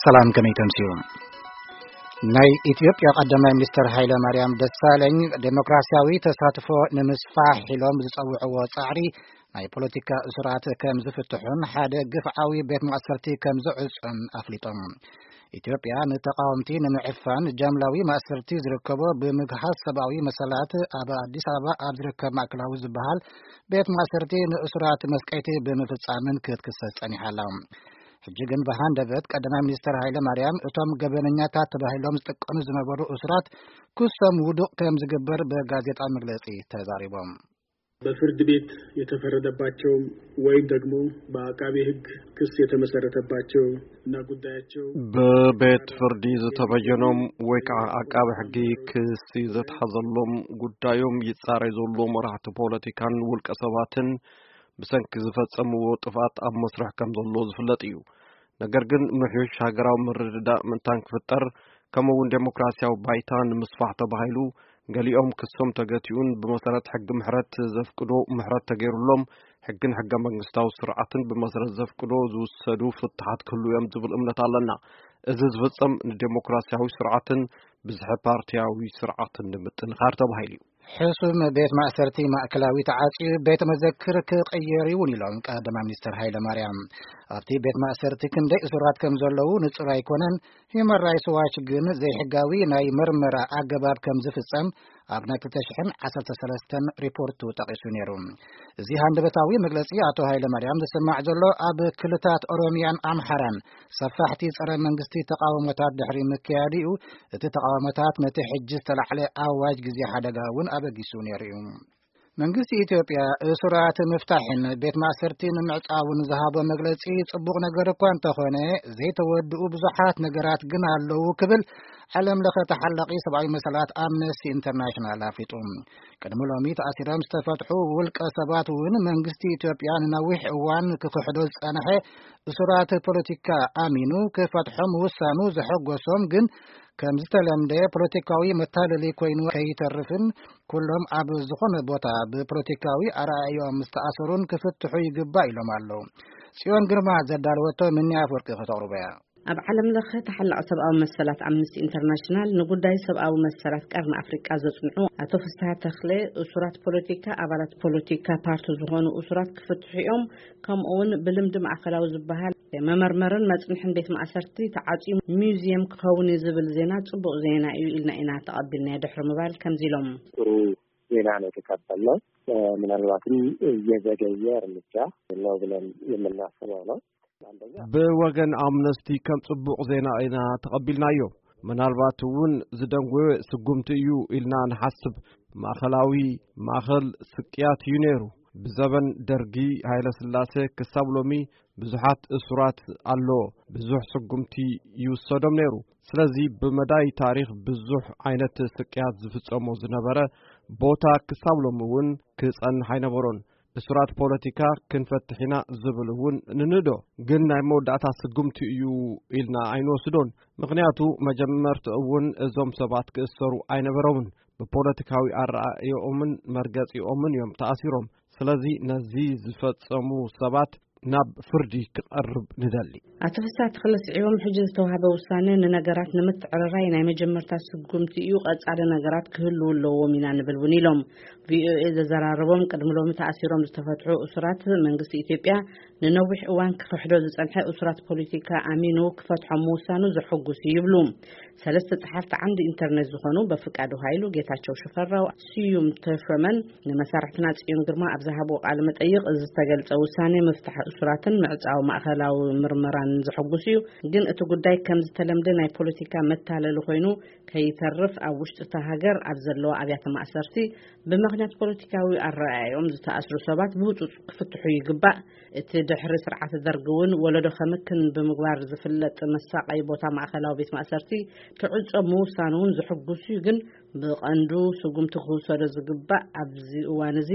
ሰላም፣ ከመይ ተምስዩ? ናይ ኢትዮጵያ ቀዳማይ ሚኒስትር ሃይለ ማርያም ደሳለኝ ዴሞክራሲያዊ ተሳትፎ ንምስፋሕ ኢሎም ዝጸውዕዎ ጻዕሪ ናይ ፖለቲካ እሱራት ከም ዝፍትሑን ሓደ ግፍዓዊ ቤት ማእሰርቲ ከም ዝዕጹን ኣፍሊጦም። ኢትዮጵያ ንተቃወምቲ ንምዕፋን ጃምላዊ ማእሰርቲ ዝርከቦ ብምግሃስ ሰብኣዊ መሰላት ኣብ ኣዲስ ኣበባ ኣብ ዝርከብ ማእከላዊ ዝበሃል ቤት ማእሰርቲ ንእሱራት መስቀይቲ ብምፍጻምን ክትክሰስ ጸኒሓ ኣላ። ሕጂ ግን ብሃንደበት ቀዳማይ ሚኒስትር ሃይለ ማርያም እቶም ገበነኛታት ተባሂሎም ዝጥቀኑ ዝነበሩ እሱራት ክሶም ውዱቕ ከም ዝግበር ብጋዜጣ መግለጺ ተዛሪቦም። በፍርድ ቤት የተፈረደባቸውም ወይም ደግሞ በአቃቤ ሕግ ክስ የተመሰረተባቸው እና ጉዳያቸው ብቤት ፍርዲ ዝተበየኖም ወይ ከዓ ኣቃቢ ሕጊ ክሲ ዘትሓዘሎም ጉዳዮም ይጻረይ ዘሎ መራሕቲ ፖለቲካን ውልቀ ሰባትን ብሰንኪ ዝፈጸምዎ ጥፍኣት ኣብ መስርሕ ከም ዘሎ ዝፍለጥ እዩ። ነገር ግን ምሕዩሽ ሃገራዊ ምርድዳእ ምእንታን ክፍጠር ከምኡ እውን ዴሞክራሲያዊ ባይታ ንምስፋሕ ተባሂሉ ገሊኦም ክሶም ተገቲኡን ብመሰረት ሕጊ ምሕረት ዘፍቅዶ ምሕረት ተገይሩሎም ሕግን ሕገ መንግስታዊ ስርዓትን ብመሰረት ዘፍቅዶ ዝውሰዱ ፍትሓት ክህሉ እዮም ዝብል እምነት ኣለና። እዚ ዝፍጸም ንዴሞክራሲያዊ ስርዓትን ብዝሒ ፓርቲያዊ ስርዓትን ንምጥንኻር ተባሂሉ እዩ። ሕሱም ቤት ማእሰርቲ ማእከላዊ ተዓጽዩ ቤተ መዘክር ክቕየር ይውን ኢሎም ቀዳማይ ሚኒስትር ሃይለ ማርያም። ኣብቲ ቤት ማእሰርቲ ክንደይ እሱራት ከም ዘለዉ ንጹር ኣይኮነን። ሂዩማን ራይትስ ዋች ግን ዘይሕጋዊ ናይ መርመራ ኣገባብ ከም ዝፍጸም ኣብ ናይ ክልተ ሽሕን ዓሰርተ ሰለስተን ሪፖርቱ ጠቒሱ ነይሩ። እዚ ሃንደበታዊ መግለጺ ኣቶ ሃይለ ማርያም ዝስማዕ ዘሎ ኣብ ክልታት ኦሮሚያን ኣምሓራን ሰፋሕቲ ጸረ መንግስቲ ተቃውሞታት ድሕሪ ምክያድኡ፣ እቲ ተቃውሞታት ነቲ ሕጂ ዝተላዕለ ኣዋጅ ግዜ ሓደጋ እውን ኣበጊሱ ነይሩ እዩ። መንግስቲ ኢትዮጵያ እሱራት ምፍታሕን ቤት ማእሰርቲ ንምዕጻውን ዝሃቦ መግለጺ ጽቡቕ ነገር እኳ እንተኾነ፣ ዘይተወድኡ ብዙሓት ነገራት ግን ኣለዉ ክብል ዓለም ለኸ ተሓላቒ ሰብኣዊ መሰላት ኣምነስቲ ኢንተርናሽናል ኣፍሊጡ። ቅድሚ ሎሚ ተኣሲሮም ዝተፈትሑ ውልቀ ሰባት እውን መንግስቲ ኢትዮጵያ ንነዊሕ እዋን ክኽሕዶ ዝጸንሐ እሱራት ፖለቲካ ኣሚኑ ክፈትሖም ውሳኑ ዘሐጎሶም ግን ከም ዝተለምደ ፖለቲካዊ መታለሊ ኮይኑ ከይተርፍን ኩሎም ኣብ ዝኾነ ቦታ ብፖለቲካዊ ኣረኣእዮም ዝተኣሰሩን ክፍትሑ ይግባእ ኢሎም ኣለዉ። ጽዮን ግርማ ዘዳለወቶ ምኒ ኣፍወርቂ ከተቕርቦ እያ። ኣብ ዓለም ለኸ ተሓላቒ ሰብኣዊ መሰላት ኣምነስቲ ኢንተርናሽናል ንጉዳይ ሰብኣዊ መሰላት ቀርኒ ኣፍሪቃ ዘጽንዑ ኣቶ ፍስሃ ተኽለ እሱራት ፖለቲካ፣ ኣባላት ፖለቲካ ፓርቲ ዝኾኑ እሱራት ክፍትሑ እዮም። ከምኡ እውን ብልምዲ ማእከላዊ ዝበሃል መመርመርን መጽንሕን ቤት ማእሰርቲ ተዓጽዩ ሚውዚየም ክኸውን እዩ ዝብል ዜና ጽቡቕ ዜና እዩ ኢልና ኢና ተቐቢልናዮ ድሕሪ ምባል ከምዚ ኢሎም። ጥሩ ዜና ነው የተቀበልነው። ምናልባትም የዘገየ እርምጃ ነው ብለን የምናስበው ነው። አንደኛ ብወገን ኣምነስቲ ከም ጽቡቕ ዜና ኢና ተቐቢልናዮ። ምናልባት እውን ዝደንጎየ ስጉምቲ እዩ ኢልና ንሓስብ። ማእኸላዊ ማእኸል ስቅያት እዩ ነይሩ። ብዘበን ደርጊ ሃይለ ስላሴ ክሳብ ሎሚ ብዙሓት እሱራት ኣሎ። ብዙሕ ስጉምቲ ይውሰዶም ነይሩ። ስለዚ ብመዳይ ታሪኽ ብዙሕ ዓይነት ስቅያት ዝፍጸሞ ዝነበረ ቦታ ክሳብ ሎሚ እውን ክጸንሕ ኣይነበሮን። እሱራት ፖለቲካ ክንፈትሕ ኢና ዝብል እውን ንንእዶ፣ ግን ናይ መወዳእታ ስጉምቲ እዩ ኢልና ኣይንወስዶን። ምኽንያቱ መጀመርትኡ እውን እዞም ሰባት ክእሰሩ ኣይነበሮምን። ብፖለቲካዊ ኣረኣእዮኦምን መርገጺኦምን እዮም ተኣሲሮም። ስለዚ ነዚ ዝፈጸሙ ሰባት ናብ ፍርዲ ክቐርብ ንደሊ። ኣቶ ፍስሃ ተኽለ ስዒቦም፣ ሕጂ ዝተዋህበ ውሳነ ንነገራት ንምትዕርራይ ናይ መጀመርታ ስጉምቲ እዩ፣ ቀጻሊ ነገራት ክህልዉ ኣለዎም ኢና ንብል እውን ኢሎም። ቪኦኤ ዘዘራረቦም ቅድሚ ሎሚ ተኣሲሮም ዝተፈትሑ እሱራት መንግስቲ ኢትዮጵያ ንነዊሕ እዋን ክኽሕዶ ዝጸንሐ እሱራት ፖለቲካ ኣሚኑ ክፈትሖም ምውሳኑ ዘሐጉስ እዩ ይብሉ። ሰለስተ ጸሓፍቲ ዓንዲ ኢንተርነት ዝኾኑ በፍቃዱ ሃይሉ፣ ጌታቸው ሽፈራው፣ ስዩም ተሾመን ንመሳርሕትና ጽዮን ግርማ ኣብ ዝሃብዎ ቃለ መጠይቕ እዚ ዝተገልጸ ውሳኔ ምፍታሕ እሱራትን ምዕጻው ማእኸላዊ ምርመራን ዘሐጉስ እዩ። ግን እቲ ጉዳይ ከም ዝተለምደ ናይ ፖለቲካ መታለሊ ኮይኑ ከይተርፍ ኣብ ውሽጢ እታ ሃገር ኣብ ዘለዋ ኣብያተ ማእሰርቲ ብምኽንያት ፖለቲካዊ ኣረኣእያኦም ዝተኣስሩ ሰባት ብህጹጽ ክፍትሑ ይግባእ። እቲ ድሕሪ ስርዓት ደርግ እውን ወለዶ ከምክን ብምግባር ዝፍለጥ መሳቐይ ቦታ ማእኸላዊ ቤት ማእሰርቲ ክዕጾ ምውሳኑ እውን ዘሐጉስ እዩ። ግን ብቐንዱ ስጉምቲ ክውሰዶ ዝግባእ ኣብዚ እዋን እዚ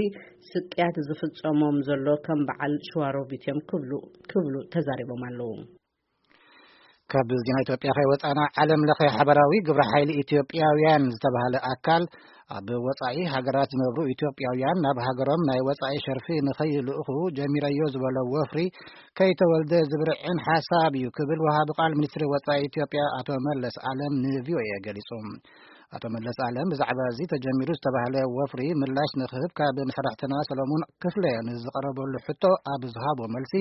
ስቅያት ዝፍጸሞም ዘሎ ከም በዓል ሸዋሮቢት እዮም ክብሉ ክብሉ ተዛሪቦም ኣለዉ። ካብ ዜና ኢትዮጵያ ከይወጻና፣ ዓለም ለኸ ሓበራዊ ግብረ ሓይሊ ኢትዮጵያውያን ዝተባህለ ኣካል ኣብ ወጻኢ ሃገራት ዝነብሩ ኢትዮጵያውያን ናብ ሃገሮም ናይ ወጻኢ ሸርፊ ንኸይልእኹ ጀሚረዮ ዝበሎ ወፍሪ ከይተወልደ ዝብርዕን ሓሳብ እዩ ክብል ወሃቢ ቃል ሚኒስትሪ ወጻኢ ኢትዮጵያ ኣቶ መለስ ኣለም ንቪኦኤ ገሊጹ። ኣቶ መለስ ኣለም ብዛዕባ እዚ ተጀሚሩ ዝተባህለ ወፍሪ ምላሽ ንክህብ ካብ መሳርሕትና ሰለሙን ክፍለ ንዝቐረበሉ ሕቶ ኣብ ዝሃቦ መልሲ፣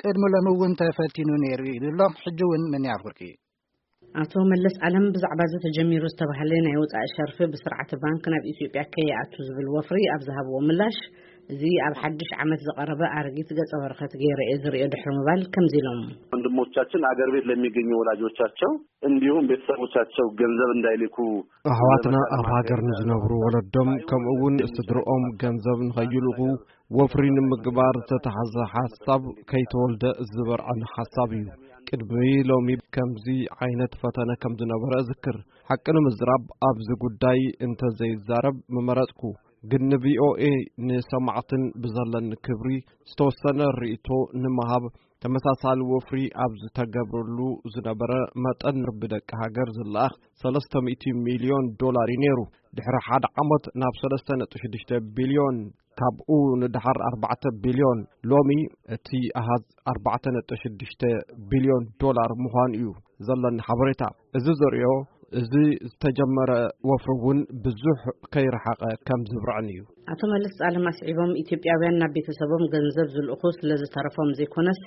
ቅድሚ ሎሚ እውን ተፈቲኑ ነይሩ ኢሉ ኣሎ። ሕጂ እውን ምንያር ፍርቂ። ኣቶ መለስ ኣለም ብዛዕባ እዚ ተጀሚሩ ዝተባህለ ናይ ወጻኢ ሸርፊ ብስርዓተ ባንክ ናብ ኢትዮጵያ ከይኣቱ ዝብል ወፍሪ ኣብ ዝሃብዎ ምላሽ፣ እዚ ኣብ ሓድሽ ዓመት ዝቐረበ ኣረጊት ገጸ በረኸት ገይረ እየ ዝርእዮ ድሕሪ ምባል ከምዚ ኢሎም። ወንድሞቻችን አገር ቤት ለሚገኙ ወላጆቻቸው እንዲሁም ቤተሰቦቻቸው ገንዘብ እንዳይልኩ ኣሕዋትና ኣብ ሃገር ንዝነብሩ ወለዶም ከምኡ እውን ስድርኦም ገንዘብ ንኸይልእኹ ወፍሪ ንምግባር ዝተታሕዘ ሓሳብ ከይተወልደ ዝበርዐን ሓሳብ እዩ። ቅድሚ ሎሚ ከምዚ ዓይነት ፈተነ ከም ዝነበረ እዝክር። ሓቂ ንምዝራብ ኣብዚ ጉዳይ እንተዘይዛረብ ምመረጽኩ። ግን ንቪኦኤ ንሰማዕትን ብዘለኒ ክብሪ ዝተወሰነ ርእይቶ ንምሃብ፣ ተመሳሳሊ ወፍሪ ኣብ ዝተገብረሉ ዝነበረ መጠን ብደቂ ሃገር ዝለኣኽ ሰለስተ ሚእቲ ሚልዮን ዶላር እዩ ነይሩ። ድሕሪ ሓደ ዓመት ናብ ሰለስተ ነጥቢ ሽዱሽተ ቢልዮን፣ ካብኡ ንደሓር ኣርባዕተ ቢልዮን፣ ሎሚ እቲ ኣሃዝ ኣርባዕተ ነጥቢ ሽዱሽተ ቢልዮን ዶላር ምዃኑ እዩ ዘለኒ ሓበሬታ። እዚ ዘርእዮ፣ እዚ ዝተጀመረ ወፍሪ እውን ብዙሕ ከይረሓቐ ከም ዝብርዕን እዩ። ኣቶ መለስ ኣለም ኣስዒቦም፣ ኢትዮጵያውያን ናብ ቤተሰቦም ገንዘብ ዝልእኹ ስለ ዝተረፎም ዘይኮነስ፣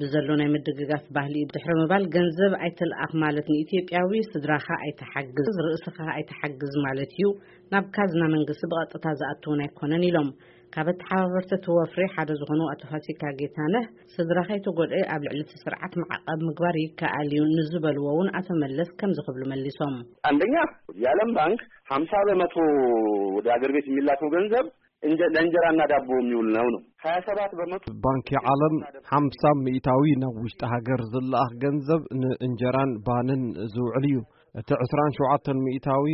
ብዘሎ ናይ ምድግጋፍ ባህሊ ድሕሪ ምባል ገንዘብ ኣይትልኣኽ ማለት ንኢትዮጵያዊ ስድራኻ ኣይትሓግዝ፣ ርእስኻ ኣይትሓግዝ ማለት እዩ፣ ናብ ካዝና መንግስቲ ብቐጥታ ዝኣቱ እውን ኣይኮነን ኢሎም። ካብ ኣተሓባበርቲ እቲ ወፍሪ ሓደ ዝኾኑ ኣቶ ፋሲካ ጌታነህ፣ ስድራ ከይተጎድኤ ኣብ ልዕሊ እቲ ስርዓት ማዕቐብ ምግባር ይከኣል እዩ ንዝበልዎ እውን ኣቶ መለስ ከምዚ ክብሉ መሊሶም። አንደኛ፣ የዓለም ባንክ ሀምሳ በመቶ ወደ አገር ቤት የሚላከው ገንዘብ እንጀ- ለእንጀራና ዳቦ የሚውል ነው ነው። ሀያ ሰባት በመቶ ባንኪ ዓለም ሓምሳ ሚእታዊ ናብ ውሽጢ ሃገር ዝለኣኽ ገንዘብ ንእንጀራን ባንን ዝውዕል እዩ። እቲ ዕስራን ሸውዓተን ሚእታዊ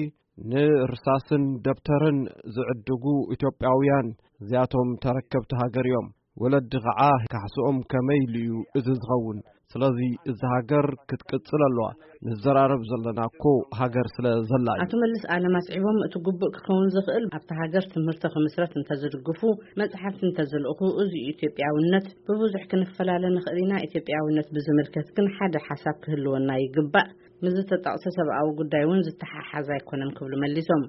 ንርሳስን ደብተርን ዝዕድጉ ኢትዮጵያውያን እዚኣቶም ተረከብቲ ሃገር እዮም። ወለዲ ኸዓ ካሕስኦም ከመይ ኢሉ እዩ እዚ ዝኸውን? ስለዚ እዛ ሃገር ክትቅጽል ኣለዋ። ንዘራረብ ዘለና እኮ ሃገር ስለ ዘላ እዩ። ኣቶ መለስ ኣለም ኣስዒቦም፣ እቲ ግቡእ ክኸውን ዝኽእል ኣብታ ሃገር ትምህርቲ ክምስረት እንተዝድግፉ፣ መጽሓፍቲ እንተዝልእኹ፣ እዚ እዩ ኢትዮጵያውነት። ብብዙሕ ክንፈላለ ንኽእል ኢና፣ ኢትዮጵያውነት ብዝምልከት ግን ሓደ ሓሳብ ክህልወና ይግባእ። ምስ ዝተጠቕሰ ሰብኣዊ ጉዳይ እውን ዝተሓሓዝ ኣይኮነን ክብሉ መሊሶም።